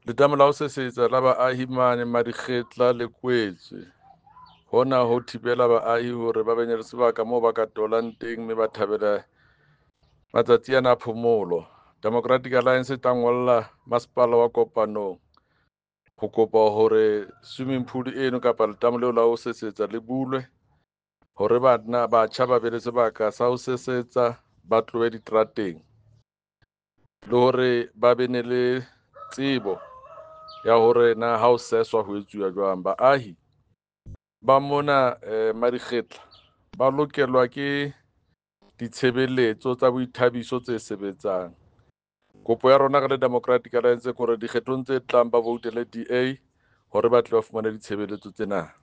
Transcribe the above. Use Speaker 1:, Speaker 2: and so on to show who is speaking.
Speaker 1: Letamo la ho sesetsa la baahi mane Madikgetla le kwetswe. Hona ho thibela baahi hore ba be le sebaka moo ba ka tolang teng mme ba thabele matsatsi ana a phomolo. Democratic Alliance e tla ngolla masepala wa Kopanong ho kopa hore swimming pool eno kapa letamo leo la ho sesetsa le bulwe hore bana batjha ba be le sebaka sa ho sesetsa, ba tlohe diterateng, le hore ba be ne le tsebo ya hore na ha ho seswa ho etsuwa jwang. Baahi ba mona Madikgetla ba lokelwa ke ditshebeletso tsa boithabiso tse sebetsang. Kopo ya rona re le Democratic Alliance ke hore dikgethong tse tlang ba voutele DA hore ba tle ba fumane ditshebeletso tsena.